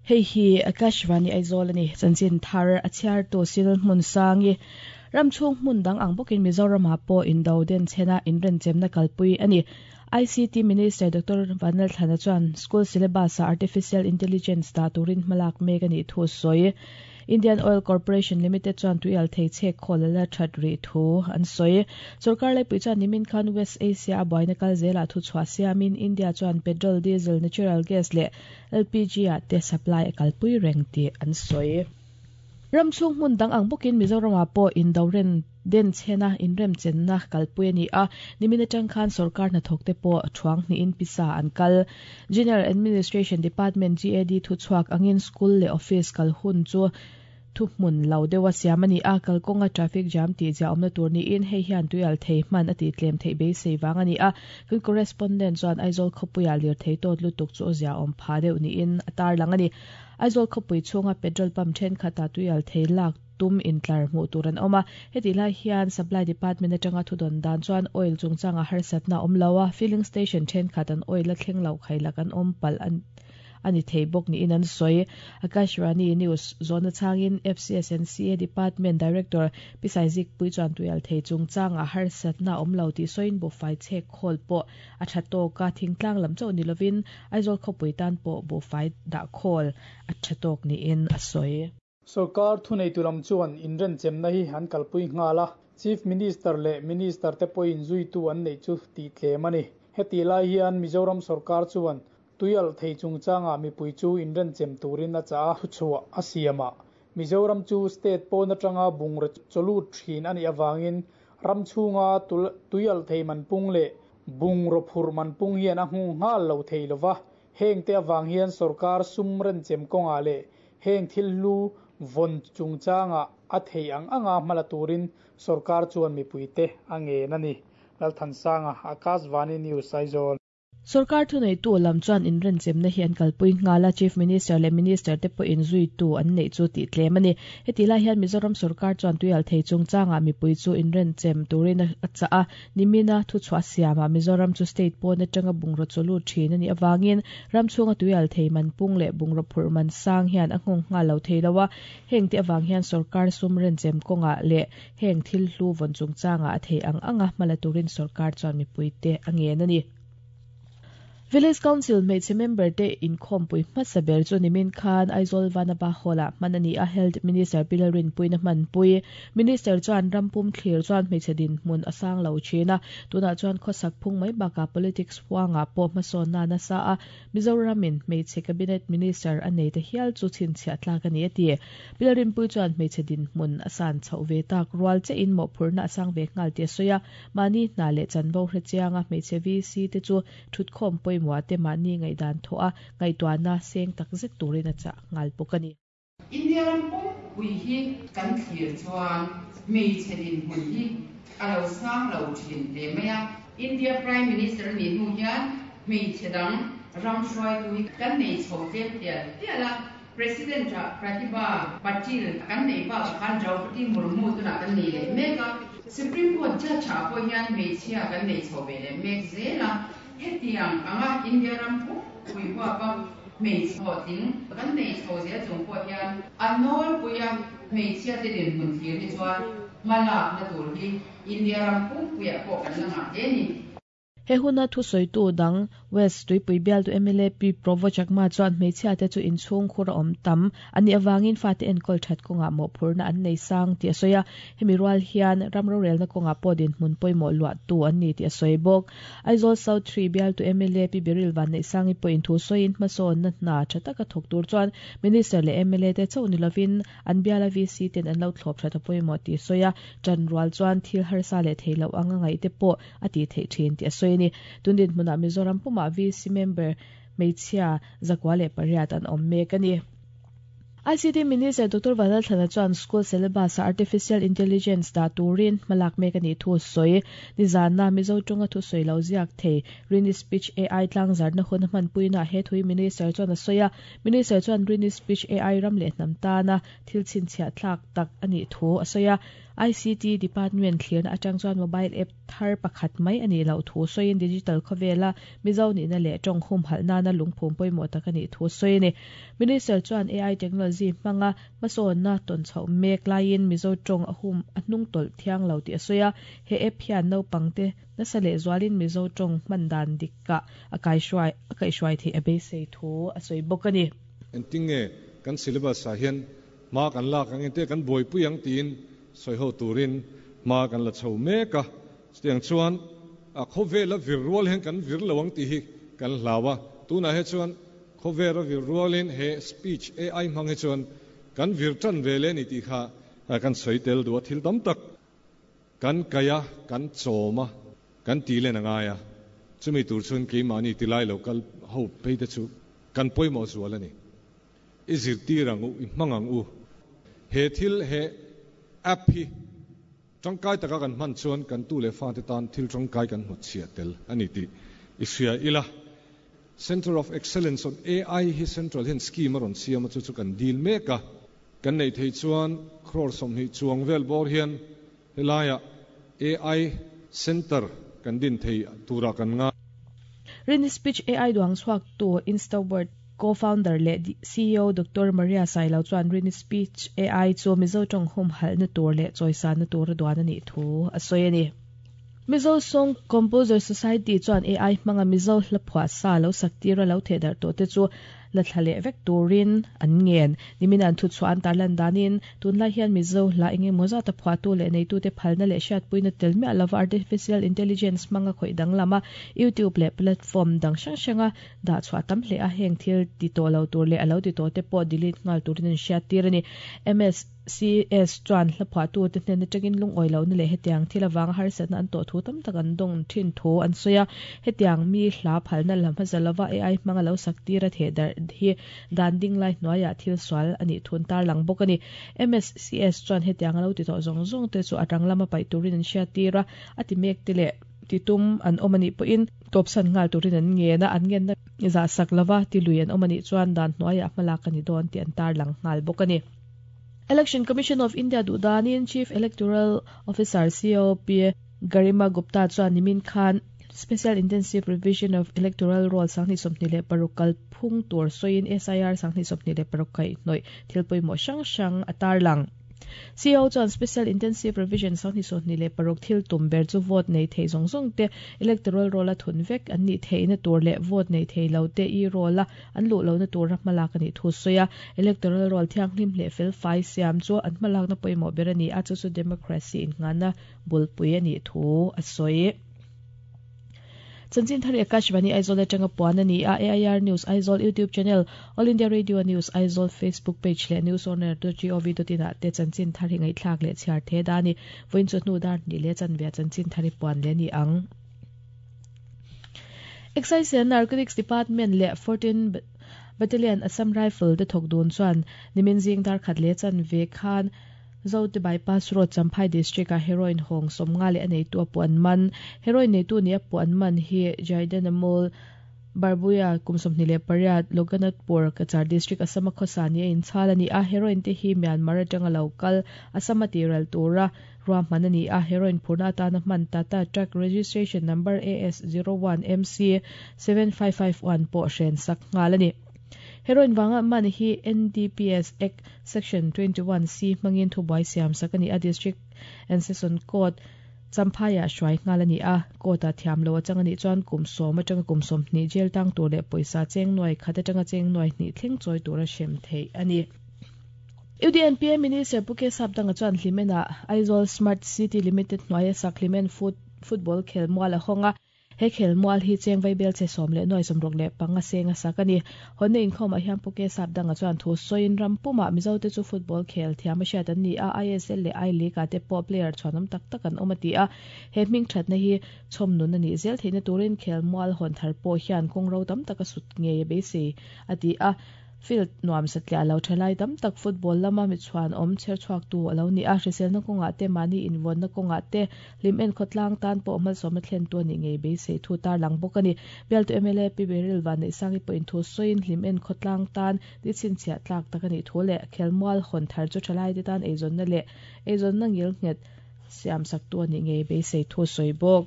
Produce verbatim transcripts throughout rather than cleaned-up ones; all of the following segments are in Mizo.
Hei hi Akashvani Aizawl ani chanchin thar a chhiar tu sil hmun sangi ramchhung hmun dang ang bawkin Mizoram ah pawh indo den chhena inrenchem na kalpui ani. I C T Minister Doctor Vanlal Thlana chuan school syllabus a artificial intelligence da turin hmalak mek ani thu sawi. Indian Oil Corporation Limited chuan tuial thei chek kholala that ri thu an sawi. Sarkar lai pui chuan nimin khan West Asia a buaina kal zela thu chhuah siamin India chuan petrol, diesel, natural gas leh L P G a te supply a kalpui reng ti an sawi. Ramchhung hmun dang ang bawkin Mizoram ah pawh indoren den chhena inrem chenna kalpui ani a nimin atang khan sarkar hnathawk te pawh thuang hnih in pisa an kal. General Administration Department G A D thu chhuak angin school leh office kal hun chu thu hmun lo deuha siam ani a kalkawnga traffic jam tih zia awmna tur niin hei hian tuial thei hman a tih tlem theih beisei wang ani a kan correspondent chuan Aizawl khawpuia lir thei tawt lutuk chu zia awm pha deuh niin a tar lang ani. Aizawl khawpui chhunga petrol pump thenkhat a tuial thei lak tum intlar hmuh tur an awm a heti lai hian supply department atanga thudon dan chuan oil chungchanga harsatna awm lo a filling station thenkhat an oil a thleng lo khailak an awm pal an ani thei bawk niin an sawi. Akashvani News zona changin F C S N C A Department Director Pisaizik pui chuan tuial thei chungchanga harsatna awm lo tih sawiin buhfai chhek khawl pawh a tha tawk a thingtlang lam chauh ni lovin Aizawl khawpui tan pawh buhfai dah khawl a tha tawk niin a sawi. Sarkar thunei tulam chuan inrenchem na hi an kalpui nghala Chief Minister leh Minister te pawhin zuitu an nei chu tih tlem ani. Heti lai hian Mizoram sarkar chuan tuial thei chungchanga mipui chu inrenchem turin a cha a thuchhuah a siama Mizoram chu state pawn atanga bungraw chawlut thin ani awangin ramchhunga tuial thei manpung leh bungraw phur manpung hian a hung nghal lo thei lova heng te awang hian sarkar sum renchem kawnga leh heng thil hlu von chungchanga a thei ang anga hmala turin sarkar chuan mipui te a ngen ani. Lalthansanga, Akashvani News, Aizawl. Sarkar thunei tu lam chuan inrenchem na hi an kalpui nghala Chief Minister leh Minister te pawh inzui tu an nei chu tih tlem ani. Heti lai hian Mizoram sarkar chuan tuial thei chungchanga mipui chu inrenchem turin a cha a nimina thu chhuah siama Mizoram chu state pawn atanga bungraw chawlu thin ani awangin ramchhunga tuial thei manpung leh bungraw phur man sang hian a nghawng nghal lo thei lowa heng te awang hian sarkar sum renchem kawnga leh heng thil hlu vawn chungchanga a thei ang anga hmala turin sarkar chuan mipui te a ngen ani. Village Council hmeichhe member te inkhawmpui hmasa ber chu nimin khan Aizawl Vanapa Hall-ah hman ani a Health Minister Pilarin puina hmanpui. Minister chuan rampum thlir chuan hmeichhe dinhmun a sang lo thin a tunah chuan khawsak phung mai bakah politics huangah pawh hmasawn na nasa a Mizoramin hmeichhe cabinet minister a nei te hial chu chhinchhiah tlak ani a ti. Pilarin pui chuan hmeichhe dinhmun a san chhoh ve tak rual che in mawhphurhna a sang ve nghal ti a sawi a mahni hna leh chanvo hre chianga hmeichhe V C te chu thutkhawm pawimawh te mahni ngaihdan thaw a ngaihtuahna seng tak zet turin a chah nghal bawk ani. India rampum pui hi kan thlir chuan hmeichhe dinhmun hi a lo sang lo thin hle mai a. India Prime Minister ni hnu hian hmeichhe dang ram hruaitu hi kan nei chho tlem tial tial a President Pratibha Patil kan nei bak khan Draupadi Murmu tunah kan nei leh mek a Supreme Court judge ah pawh hian hmeichhia kan nei chho ve leh mek zel a hetiang anga India rampum pui huapa hmeichhe tling kan nei chho zel chung pawh hian a nawl puia hmeichhia te dinhmun thlir hi chuan hmalak na tur hi India rampum puiah pawh kan la ngah hle ni. He huna thu sawitu dang West Tuipui bial tu M L A P Provo Chakma chuan hmeichhia te chu inchhung khur a awm tam ani awangin fa te enkawl that kawnga mawhphurhna an nei sang ti a sawi a hemi rual hian ramro relna kawnga pawh dinhmun pawimawh luah tu an ni ti a sawi bawk. Aizawl South three bial tu M L A P Biril van nei sangi pawhin thu sawiin hmasawn na hna tha taka thawk tur chuan Minister leh M L A te chauh ni lovin an biala V C ten an lo thlawp that a pawimawh ti a sawi a ṭan rual chuan thil harsa leh thei lo anga ngaih te pawh a ti theih thin ti a sawi ni. Tundin hmunah Mizoram puma V C member hmeichhia zakua leh pariat an awm mek ani. I C T Minister Doctor Vanlal Thlana chuan school syllabus a artificial intelligence da turin hmalak mek ani thu sawi. Nizana Mizo tonga thu sawi lo ziak thei Rini Speech A I tlang zarna hun hmanpuina he thui Minister chuan a sawi a. Minister chuan Rini Speech A I ram leh hnam tana thil chhinchhiah thlak tak ani thu a sawi a. I C T Department thlirna atang chuan mobile app thar pakhat mai ani lo thu soin digital khawvela Mizo ni na le tong hum halna na lungphum pawimawh tak ani thu soini Minister chuan A I technology hmanga masawn na ton chho mek laiin Mizo tong a hum a hnung tol thiang lo ti a soya he app hian no pangte na sale zwalin Mizo tong mandan dikka akai shwai akai shwai the abe sei thu a soi bokani entinge kan syllabus a hian ma kan la kan te kan boi pui ang tin soi ho turin ma kan la chho meka tiang chuan a khawvela vir rual hen kan vir lawang ti hi kan hlawa tuna he chuan khawvela vir rualin he speech A I hmang he chuan kan vir tan vele ni ti kha kan soi tel du thil tam tak kan kaya kan choma kan ti le na nga ya chumi tur chun ki mani ti lai local ho pe te chu kan poimo zual ani izir ti rangu i mangang u he thil he app hi tangkai taka kan man chuan kan tu le fa te tan thil tangkai kan hmu chhia tel ani ti isia ila Center of Excellence on A I hi central hen scheme aron siam chu chu kan deal meka kan nei thei chuan crore som hi chuang vel bor hian helaya A I center kan din thei tura kan nga Rin speech A I duang chuak tu Instaword co-founder le C E O Doctor Maria Sailo chuan Rin speech A I chu Mizo tong hum hal na tur le choisa na tur duan ani thu a soi ani Mizo Song Composer Society chuan A I hmanga Mizo hlaphua sa lo saktira lo thedar to te chu la thlale vek turin an ngen nimin an thu chuan tarlan danin tunlai hian Mizo hla enge moza ta phua tu le nei tu te phalna le hriat puina tel me alava artificial intelligence manga khoi dang lama YouTube le platform dang hrang hranga da chua tam hle a heng thil ti to lo tur le alo ti to te pawh delete ngal turin an hriat tir ani M S C S chuan hla phua tu te hnen atangin lung oi lo ni le hetiang thil awang har satna an to thu tam tak an dong thin thu an soya hetiang mi hla phalna lam hazalava A I hmanga lo saktira the dar hi dan ding lai hnuaia thil swal ani thun tar lang bawk ani M S C S chuan hetiang alo ti to zawng zawng te chu atang lama pai turin an hriat tira ati mek te le titum an awm ani pawhin tawpsan nghal turin an nge na an ngen na za sak lova ti lui an awm ani chuan dan hnuaia hmalak ani dawn ti an tar lang nghal bawk ani Election Commission of India dudanin Chief Electoral Officer C O P Garima Gupta chuan nimin khan Special Intensive Revision of Electoral Roll sangni somni le parukal phung tur soin S I R sangni somni le parukai noi thilpoi mo sang sang atar lang C O chuan Special Intensive Revision sangni somni le paruk thil tum ber chu vote nei thei zong zong te electoral roll a thun vek an ni thei na tur le vote nei thei lo te i roll a an lu lo na tur malak ani thu soya electoral roll thiang hlim le fel fai siam chu an malak na poimo berani a chu chu democracy in ngana bulpui ani thu a soi Chanchin Thari Akashvani Aizawl atanga puan ani a A I R News Aizawl YouTube channel All India Radio News Aizawl Facebook page le news on air dot gov dot in te Chanchin Thari ngai thlak le chhiar the dani voin chu hnu dar ni le chanve Chanchin Thari puan le ni ang Excise and Narcotics Department le fourteen Battalion Assam Rifle te thok dun chuan nimin jing dar khat le chanve khan Zote bypass road Champhai district a heroin hong somnga le anei tu apuan man heroin nei tu ni apuan man hi Jaidanamol Barbuya kumsomni le pariat Loganatpur Cachar district Assam khosani in chalani a heroin te hi Myanmar atanga local Assam tiral tura ruahman ani a heroin phurna atana hman tata truck registration number A S zero one M C seven five five one pawh hren sak ngal ani Heroin wanga man hi N D P S Act Section twenty-one C mangin thubai siam sakani a district and session court Champhaya hruai nghal ani a court a thiam lo atangani chuan kum som atanga kum som hnih jail tang tur leh pawisa cheng nuai khat atanga cheng nuai hnih thleng chawi tura hrem thei ani U D N P A Minister Puke Sapdanga chuan hlimena Aizawl Smart City Limited hnuaia sak hlimen foot football khel mual a hawnga he khel mual hi cheng vai bel che som le noi som rok le panga senga sakani honne inkhom a hian Puke Sapdanga chuan thu soin rampuma Mizo te chu football khel thiam a hriat an ni a I S L le I League a te pawh player chuanam tak tak an awm ati a he hming thatna hi chhawm nun ani zel theina turin khel mual hawn thar pawh hian kawng ro tam taka sut nge beisei ati a Field nuam satlia lo thalai tam tak football lama mi chuan om cher chuak tu alo ni a hrisel na konga te mani inwon na konga te lim en khotlang tan po mal som thlen tu ni ngei be sei thu tar lang bok ani bel tu M L A P Beril van nei sangi point thu soin lim en khotlang tan di chin chia tlak tak ani thu le khelmual hon thar chu thalai te tan eizon na le eizon na ngil nget siam sak tu ani ngei be sei thu soi bok.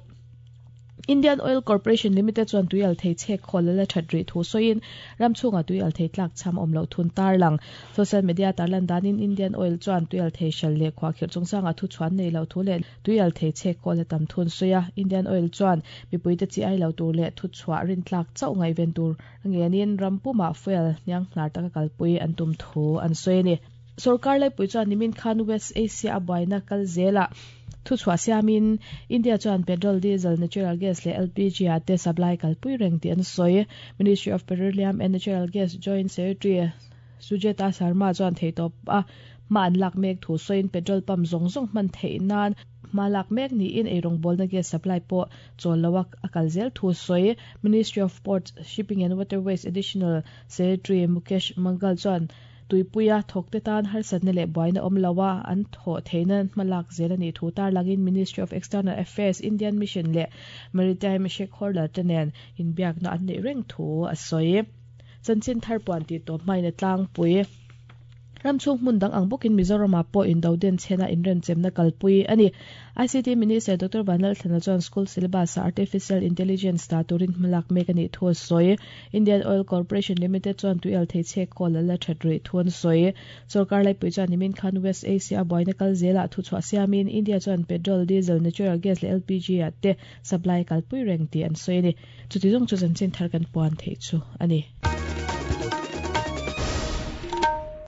Indian Oil Corporation Limited chuan tuial thei chek kholala thadri thu soin ramchunga tuial thei tlak cham omlo thun tar lang social media tarlan danin Indian Oil chuan tuial thei shal le khwa khir chungchanga thu chuan nei lo thu le tuial thei chek khola tam thun soya. Indian Oil chuan mipuite chi ai lo tur le thu chwa rin tlak chau ngai ven tur ngenin rampuma fuel nyang hnar taka kalpui an tum thu an soini. Sarkar lai pui chuan nimin khan West Asia abaina kal zela thu chua siamin India chuan petrol, diesel, natural gas le L P G ate supply kalpui reng ti an soi. Ministry of Petroleum and Natural Gas Joint Secretary Sujeta Sharma chuan theitop a ma an lak mek thu soin petrol pump zong zong man theinan ma lak mek ni in eirong bolna gas supply po cholawak akal zel thu soi. Ministry of Ports, Shipping and Waterways Additional Secretary Mukesh Mangal chuan tuipuia thokte tan har satna le boina omlawa an tho theinan malak zelani thu tar langin Ministry of External Affairs Indian Mission le Maritime Stakeholder tenen inbiak na an nei reng thu a soi. Chanchin thar puan ti to maina tlang pui ramchung hmun dang ang bokin Mizoram po in doden chena inren chemna kalpui ani. I C T Minister Doctor Vanlal Thlana chuan school syllabus artificial intelligence ta turin hmalak mek ani thu soi. Indian Oil Corporation Limited chuan tuial thei che kol la thatri thun soi. Sarkar lai pui chuan nimin khan West Asia boina kal zela thu chwa siamin India chuan petrol, diesel, natural gas le L P G ate supply kalpui reng ti an soi ni. Chuti jong chu chanchin thar kan puan thei chu ani.